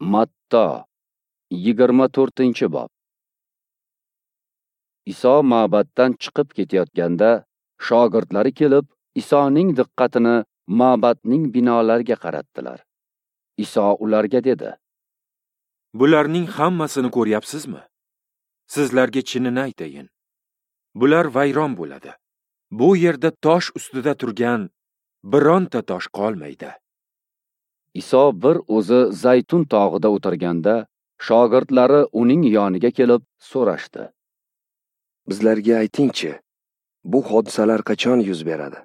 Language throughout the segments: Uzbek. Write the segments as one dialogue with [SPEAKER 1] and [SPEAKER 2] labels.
[SPEAKER 1] Matto 24-bob. Iso ma'batdan chiqib ketayotganda shogirdlari kelib, Isoning diqqatini ma'batning binolariga qaratdilar. Iso ularga dedi:
[SPEAKER 2] Bularning hammasini ko'ryapsizmi? Sizlarga chinini aytayin. Bular vayron bo'ladi. Bu yerda tosh ustida turgan bironta tosh qolmaydi.
[SPEAKER 1] Iso bir o'zi Zaytun tog'ida o'tirganda, shogirdlari uning yoniga kelib so'rashdi:
[SPEAKER 3] Bizlarga aytingchi, bu hodisalar qachon yuz beradi?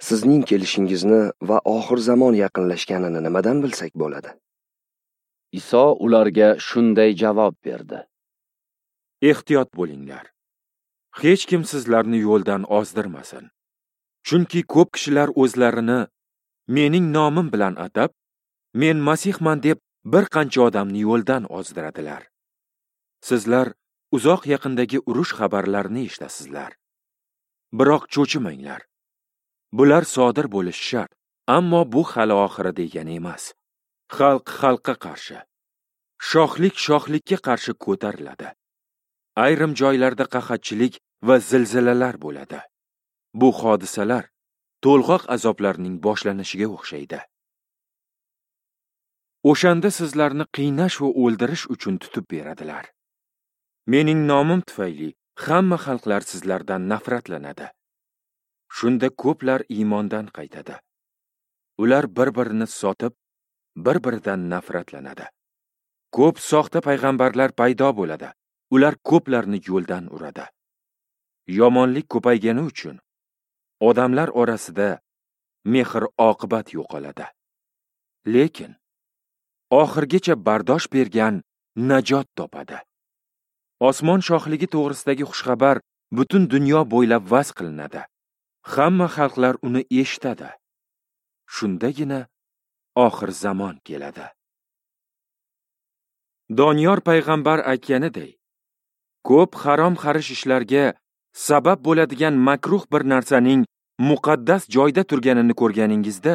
[SPEAKER 3] Sizning kelishingizni va oxir zamon yaqinlashganini nimadan bilsak bo'ladi?
[SPEAKER 1] Iso ularga shunday javob berdi:
[SPEAKER 2] Ehtiyot bo'linglar. Hech kim sizlarni yo'ldan ozdirmasin. Chunki ko'p kishilar o'zlarini mening nomim bilan atab, men Masihman deb bir qancha odamni yo'ldan ozdiradilar. Sizlar uzoq yaqindagi urush xabarlarini eshitasizlar. Biroq cho'chimanglar. Bular sodir bo'lishi shart, ammo bu hali oxiri degani emas. Xalq xalqqa qarshi, shohlik shohlikka qarshi ko'tariladi. Ayrim joylarda qahatchilik va zilzilalar bo'ladi. Bu hodisalar to'lg'oq azoblarning boshlanishiga o'xshaydi. O'shanda sizlarni qiynash va o'ldirish uchun tutib beradilar. Mening nomim tufayli hamma xalqlar sizlardan nafratlanadi. Shunda ko'plar iymondan qaytadi. Ular bir-birini sotib, bir-biridan nafratlanadi. Ko'p soxta payg'ambarlar paydo bo'ladi. Ular ko'plarni yo'ldan uradi. Yomonlik ko'paygani uchun odamlar orasida mehr-oqibat yo'qoladi. Lekin oxirgacha bardosh bergan najot topadi. Osmon shohligi to'g'risidagi xushxabar butun dunyo bo'ylab vaz qilinadi. Hamma xalqlar uni eshitadi. Shundagina oxir zamon keladi. Doniyor payg'ambar aytganiday, ko'p harom xarish ishlarga sabab bo'ladigan makruh bir narsaning muqaddas joyda turganini ko'rganingizda,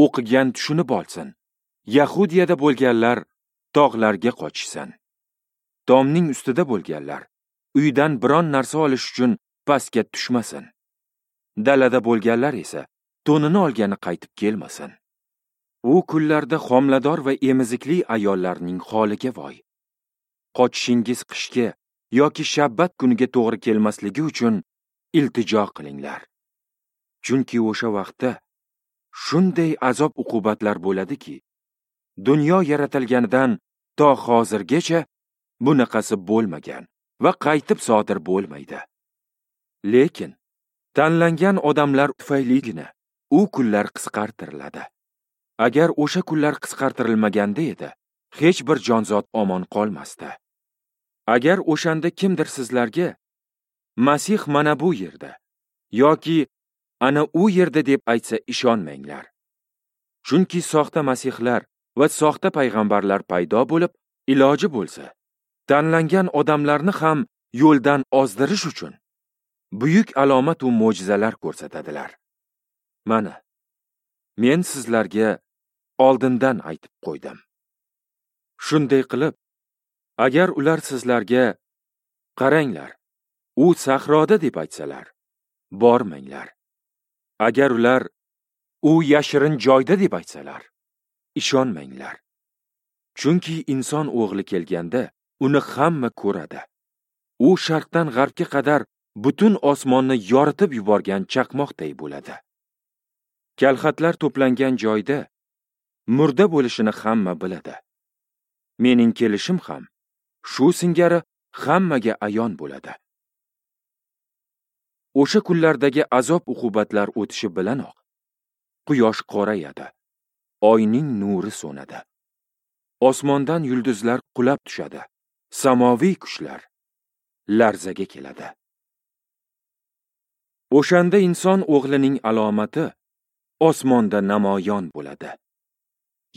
[SPEAKER 2] o'qigan tushunib olsin. Yahudiyada bo'lganlar tog'larga qochishsin. Tomning ustida bo'lganlar uydan biron narsa olish uchun pastga tushmasin. Dalada bo'lganlar esa to'nini olgani qaytib kelmasin. U kunlarda homilador va emizikli ayollarning holiga voy. Qochishingiz qishga yoki shabbat kuniga to'g'ri kelmasligi uchun iltijo qilinglar. Chunki o'sha vaqtda shunday azob uqubatlar bo'ladiki, dunyo yaratilganidan to hozirgacha bunaqasi bo'lmagan va qaytib sodir bo'lmaydi. Lekin tanlangan odamlar tufayligina u kunlar qisqartiriladi. Agar o'sha kunlar qisqartirilmaganda edi, hech bir jonzot omon qolmasdi. Agar o'shanda kimdir sizlarga Masih mana bu yerda yoki ana u yerda deb aytsa ishonmanglar. Chunki soxta masihlar va soxta payg'ambarlar paydo bo'lib, iloji bo'lsa, tanlangan odamlarni ham yo'ldan ozdirish uchun buyuk alomat va mo'jizalar ko'rsatadilar. Mana, men sizlarga oldindan aytib qo'ydim. Shunday qilib, agar ular sizlarga qaranglar, u sahroda deb aytsalar, bormanglar. Agar ular u yashirin joyda deb aytsalar, ishonmanglar. Chunki inson o'g'li kelganda uni hamma ko'radi. U sharqdan g'arbga qadar butun osmonni yoritib yuborgan chaqmoqday bo'ladi. Kalxatlar to'plangan joyda murda bo'lishini hamma biladi. Mening kelishim ham shu singari hammaga ayon bo'ladi. O'sha kunlardagi azob uqubatlar o'tishi bilanoq quyosh qorayadi, oyning nuri so'nadi. Osmondan yulduzlar qulab tushadi, samoviy kuchlar larzaga keladi. O'shanda inson o'g'lining alomati osmonda namoyon bo'ladi.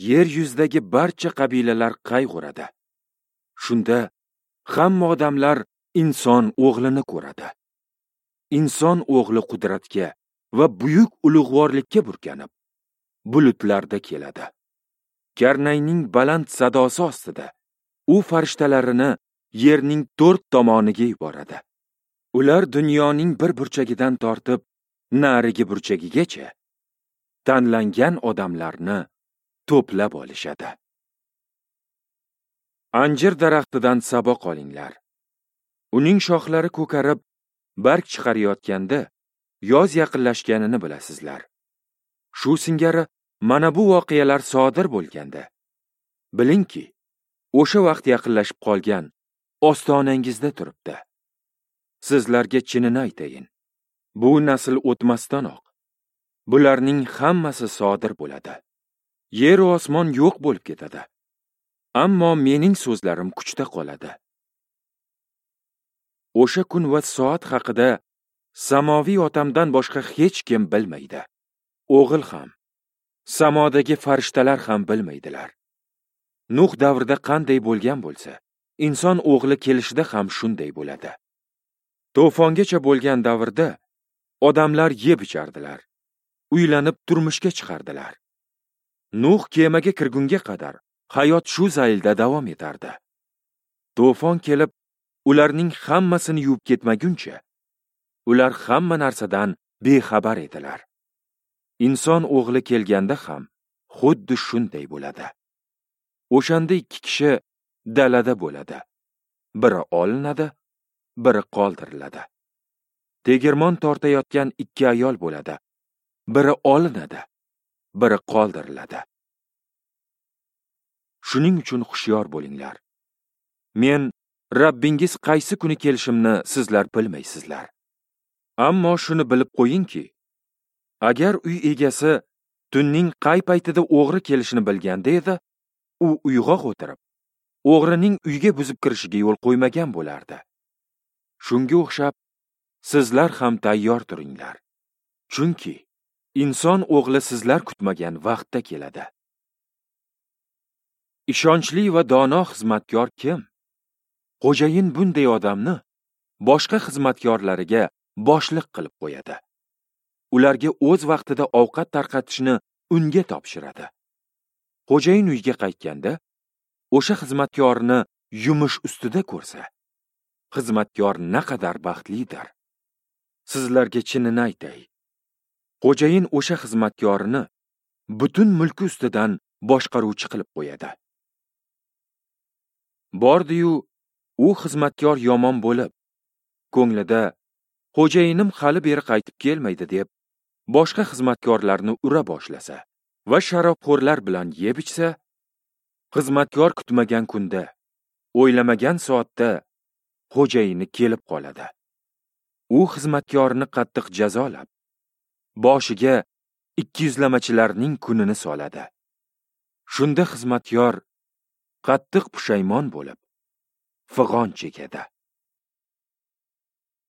[SPEAKER 2] Yer yuzidagi barcha qabilalar qayg'uradi. Shunda hamma odamlar inson o'g'lini ko'radi. Inson o'g'li qudratga va buyuk ulug'vorlikka burkanib, bulutlarda keladi. Karnayning baland sadosi ostida u farishtalarini yerning 4 tomoniga yuboradi. Ular dunyoning bir burchagidan tortib narigi burchagigacha tanlangan odamlarni to'plab olishadi. Anjir daraxtidan saboq olinglar. Uning shoxlari ko'karib, barg chiqarayotganda yoz yaqinlashganini bilasizlar. Shu singari mana bu voqealar sodir bo'lganda, bilingki, o'sha vaqt yaqinlashib qolgan ostonangizda turibdi. Sizlarga chinini aytayin, bu nasl o'tmasdanoq bularning hammasi sodir bo'ladi. Yer va osmon yo'q bo'lib ketadi. Ammo mening so'zlarim kuchda qoladi. O'sha kun va soat haqida samoviy otamdan boshqa hech kim bilmaydi. O'g'il ham, samodagi farishtalar ham bilmaydilar. Nuh davrida qanday bo'lgan bo'lsa, inson o'g'li kelishida ham shunday bo'ladi. To'fongacha bo'lgan davrda odamlar yeb ichardilar, uylanib turmushga chiqardilar. Nuh kemaga kirgunga qadar hayot shu zaylda davom etardi. To'fon kelib, ularning hammasini yuvib ketmaguncha, ular hamma narsadan bexabar edilar. Inson o'g'li kelganda ham xuddi shunday bo'ladi. O'shanda 2 kishi dalada bo'ladi. Biri olinadi, biri qoldiriladi. Tegirmon tortayotgan 2 ayol bo'ladi. Biri olinadi, biri qoldiriladi. Shuning uchun hushyor bo'linglar. Men Rabbingiz qaysi kuni kelishimni sizlar bilmaysizlar. Ammo shuni bilib qo'yingki, agar uy egasi tunning qay paytida o'g'ri kelishini bilganda edi, u uyg'oq o'tirib, o'g'rining uyga buzib kirishiga yo'l qo'ymagan bo'lardi. Shunga o'xshab, sizlar ham tayyor turinglar. Chunki inson o'g'li sizlar kutmagan vaqtda keladi. Ishonchli va dono xizmatkor kim? Xo'jayin bunday odamni boshqa xizmatkorlariga boshliq qilib qo'yadi. Ularga o'z vaqtida ovqat tarqatishni unga topshiradi. Xo'jayin uyga qaytganda, o'sha xizmatkorni yumush ustida ko'rsa, xizmatkor naqadar baxtlidir. Sizlarga chinini aytay, xo'jayin o'sha xizmatkorini butun mulki ustidan boshqaruvchi qilib qo'yadi. Bordi-yu, u xizmatkor yomon bo'lib, ko'nglida xo'jayinim hali beri qaytib kelmaydi deb boshqa xizmatkorlarni ura boshlasa va sharobxo'rlar bilan yeb ichsa, xizmatkor kutmagan kunda, o'ylamagan soatda xo'jayini kelib qoladi. U xizmatkorni qattiq jazolab, boshiga ikkiyuzlamachilarning kunini soladi. Shunda xizmatkor qattiq pushaymon bo'lib, fig'on chekadi.